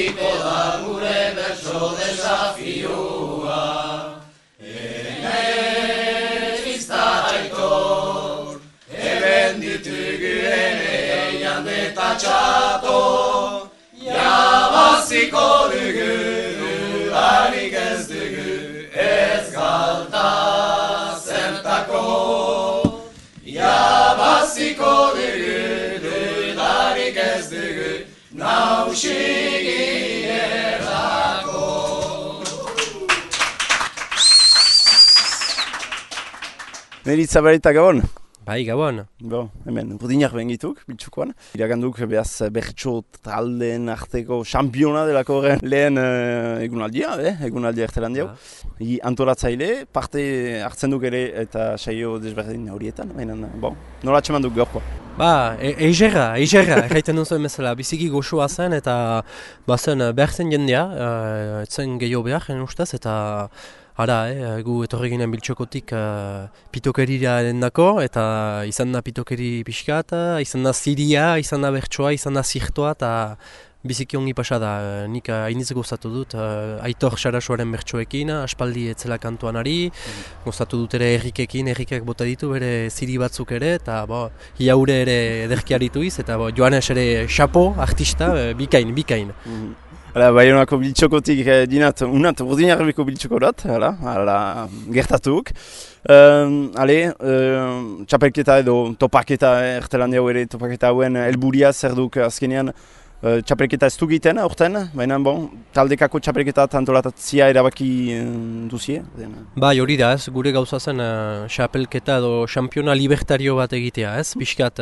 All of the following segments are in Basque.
hasiko da gure bertso desafioa. Emetzista aitor, eben ditugu ere jande eta txato, jabaziko dugu, dudarik ez dugu, ez galta zertako. Jabaziko dugu, dudarik ez dugu, nausik inerako. Meritza Barita, Gabon? Bai, Gabon. Hemen, burdinak bengituk, biltsukoan. Iraganduk behaz bertso taldeen arteko championa delako horren lehen egunaldia, egunaldia ertelan diau. Antolatzaile, parte hartzen duk ere eta saio desberdin horietan, baina, nola txeman duk gaurkoa? Eizerra, erraiten duzuen bezala, biziki goxoa zen eta bazen behar zen jendea, etzen gehiago behar, ustez, eta gu etorri ginen biltxokotik pitokerira dako, eta izan da pitokeri pixkat, izan da ziria, izan da bertsoa, izan da zirtoa, eta biziki ongi pasa da. Nik hainiz gozatu dut Aitor Sarasuaren bertsoekin, aspaldi etzela kantuan ari, gozatu dut ere Errikek bota ditu bere ziri batzuk ere, eta iaure ere ederki arituiz, eta Joanes ere xapo, artista, bikain. Baionako biltxokotik dinat, unat, urdinarriko biltxokorat, gertatuk. Txapelketa edo topaketa, ertelan diau ere topaketa hauen helburia zer duk azkenean txapelketa ez dugiten aurten, baina taldekako txapelketa antolatatzia erabaki duzie? Bai, hori da ez, gure gauza zen txapelketa edo xampiona libertario bat egitea ez, pixkat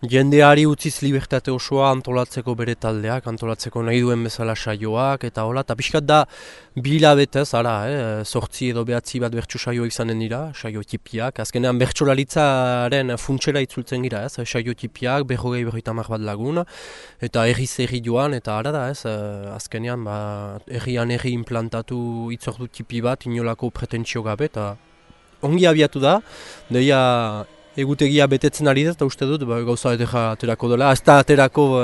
jendeari utziz libertate osoa antolatzeko bere taldeak, antolatzeko nahi duen bezala saioak, eta hola, eta pixkat da bilabetez, 8 edo 9 bat bertso saio izanen dira, saio tipiak, azkenean bertsolaritzaren funtsera itzultzen gira, ez, saio tipiak, 20-30 bat lagun, eta erri joan, eta azkenean herrian implantatu itzordu tipi bat, inolako pretentsio gabe, eta ongi abiatu da, deia egutegia betetzen ari da, eta uste dut gauza edera aterako dela. Ez da aterako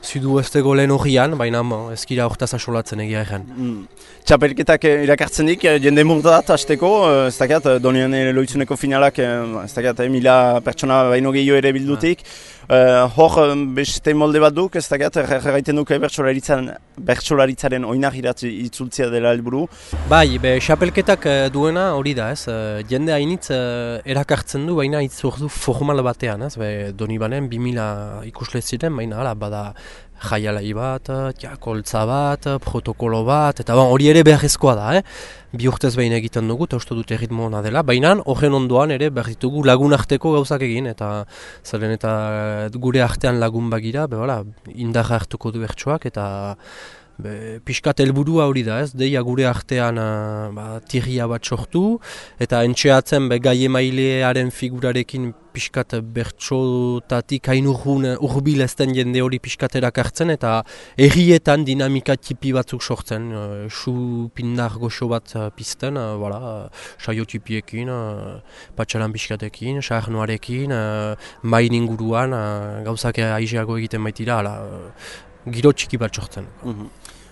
zidu estego lehen horrian, baina ezkira hortaz asolatzen egia egen. Txapelketak irakartzen dik, jende murdat hasteko, ez dakiat, Donian loitzuneko finalak, ez dakiat, 1000 pertsona baino gehiago ere bildutik. Hor beste molde bat duk, ez dakiat, erraiten duk bertsolaritzaren oinagirat itzultzea dela helburu. Bai, txapelketak duena hori da, ez, jende hainitz erakartzen du, baina itzordu formal batean, ez, Donibanen 2000 ikusle ziren, baina bada jaialai bat, koltza bat, protokolo bat, eta hori ere beharrezkoa da, bi urtez behin egiten dugu, eta uste dute erritmo hona dela, baina horren ondoan ere behar ditugu lagun arteko gauzak egin, eta zeren eta gure artean lagun bagira, indarra hartuko du bertsoak, eta pixkat helburua hori da, ez, deia gure artean tirria bat sortu, eta entxeatzen gai emailearen figurarekin pixkat bertsotatik hain urbil ezten jende hori pixkat erakartzen, eta errietan dinamika tipi batzuk sortzen, pindar goxo bat pizten, saio tipiekin, patxaran pixkatekin, saarnoarekin, main inguruan, gauzak aizeago egiten baitira, giro txiki bat sortzen.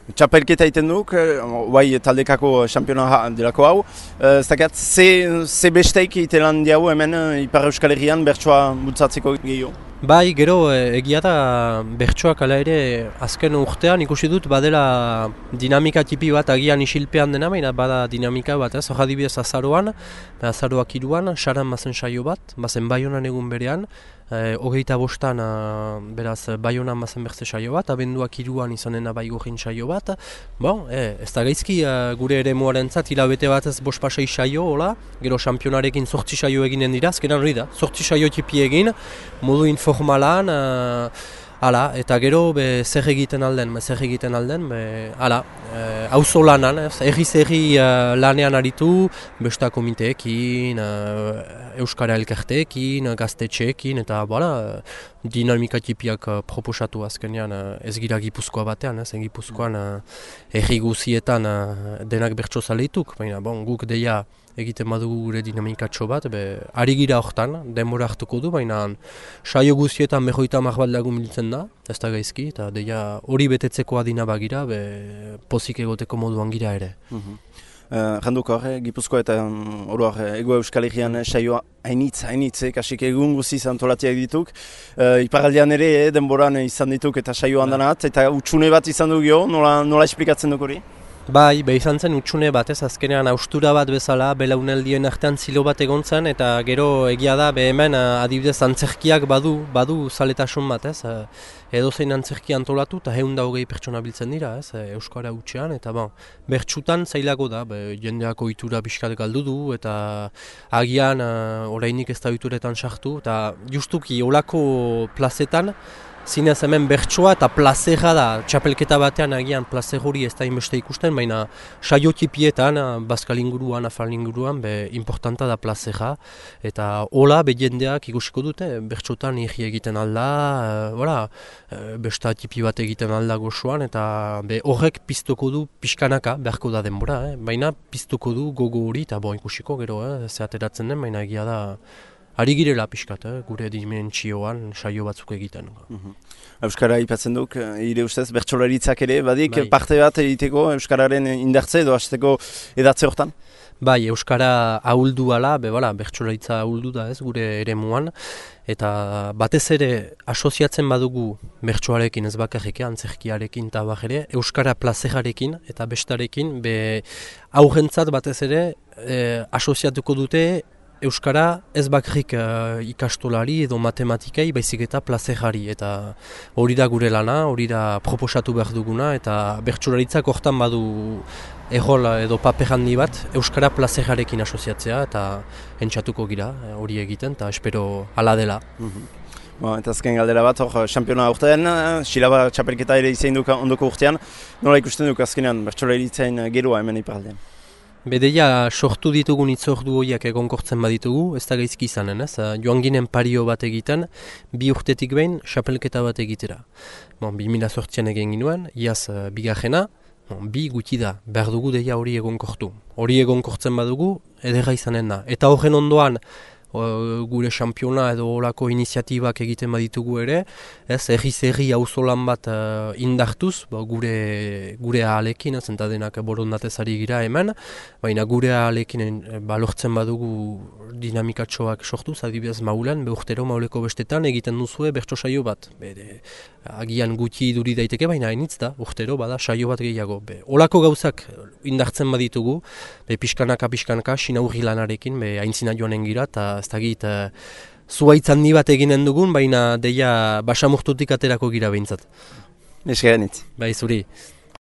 Txapelketa egiten duk, taldekako xampiona delako hau. Zakaat, ze besteik egiten diau hemen Ipar Euskal Herrian bertsoa bultzatzeko gehiago? Bai, gero egia da bertsoak ala ere azken urtean ikusi dut badela dinamika tipi bat agian isilpean dena, baina bada dinamika bat, ez? Hor adibidez azaroan, azaroak 3an, saran bazen saio bat, bazen Baionan egun berean, 25an beraz Baionan bazen berze saio bat, abenduak 3an izanena Baigorrin saio bat. Ez da gaizki gure ere muarentzat hilabete bat ez 5-6 saio, hola, gero xampionarekin 8 saio eginen dira, azkenan hori da, 8 saio tipi egin, modu informalan, eta gero zer egiten alden, auzo lanan, erri lanean aritu, besta komiteekin, Euskara elkarteekin, gaztetxeekin, eta dinamika tipiak proposatu azkenean ez gira Gipuzkoa batean, Gipuzkoan erri guzietan denak bertso zaleituk, baina guk deia egiten badugu gure dinamikatxo bat, ari gira hortan, denbora hartuko du, baina saio guztietan 50 bat lagun biltzen da, ez da gaizki, eta deia hori betetzeko adina bagira, pozik egoteko moduan gira ere. Janduk hor, Gipuzkoa eta oroak Ego Euskal Herrian saioa hainitz, kasik egun guziz antolatiak dituk. Iparaldean ere denboran izan dituk eta saioa handanat, eta utxune bat izan du gio, nola esplikatzen duk hori? Bai, izan zen utxune bat, azkenean haustura bat bezala, belauneldien artean zilo bat egon zen, eta gero egia da, hemen adibidez antzerkiak badu zaletasun bat, edozein antzerki antolatu, eta 120 pertsona biltzen dira, Euskara hutsean, eta bertsutan zailago da, jendeak ohitura pixkat galdu du, eta agian orainik ez da ohituretan sartu, eta justuki olako plazetan, zinez hemen bertsoa eta plazera da, txapelketa batean agian plazer hori ez da inbeste ikusten, baina saio tipietan, Bazkal inguruan, Afal inguruan, importanta da plazera, eta hola jendeak ikusiko dute, bertsotan irri egiten alda, besta tipi bat egiten alda gozoan, eta horrek piztuko du pixkanaka, beharko da denbora, baina piztuko du gogo hori, eta ikusiko gero, zehateratzen den, baina egia da, ari girela pixkat, gure dimentsioan saio batzuk egiten. Euskara ipatzen duk, ire ustez, bertsolaritzak ere, badik parte bat egiteko Euskararen indartze edo hasteko edatze hortan? Bai, Euskara ahuldu ala, bertsolaritza ahuldu da gure eremuan, eta batez ere asoziatzen badugu bertsoarekin ez bakarrik, antzerkiarekin eta ere, Euskara plazerarekin eta bestarekin, aurrentzat batez ere asoziatuko dute Euskara ez bakarrik ikastolari edo matematikai, baizik eta plazerari, eta hori da gure lana, hori da proposatu behar duguna, eta bertsolaritzak hortan badu errol edo paper handi bat Euskara plazerarekin asoziatzea, eta entzatuko gira hori egiten, eta espero hala dela. Eta azken galdera bat, xampiona urtean, Xilaba txapelketa ere izan duk ondoko urtean, nola ikusten duk azkenean bertsolaritzen geroa hemen iparaldean? Bedeia sortu ditugun itzordu horiak egonkortzen baditugu, ez da gaizki izanen, joan ginen pario bat egiten, 2 urtetik behin xapelketa bat egitera. 2008an egin ginuen, iaz bigarrena, 2 gutxi da, behar dugu deia hori egonkortu. Hori egonkortzen badugu, ederra izanen da. Eta horren ondoan, gure xampiona edo horako iniziatibak egiten baditugu ere, erri auzolan bat indartuz, gure ahalekin, zenta denak borondatez ari gira hemen, baina gure ahalekin lortzen badugu dinamikatxoak sortuz, adibidez Maulen, urtero Mauleko bestetan egiten duzue bertso saio bat. Agian gutxi duri daiteke, baina hainitz da, urtero bada saio bat gehiago. Olako gauzak indartzen baditugu, pixkanaka, sinaurri lanarekin, aintzina joanen gira, eta ez dakit zuaitz handi bat eginen dugun, baina deia basamurtutik aterako gira behintzat. Esker nitz. Bai, zuri.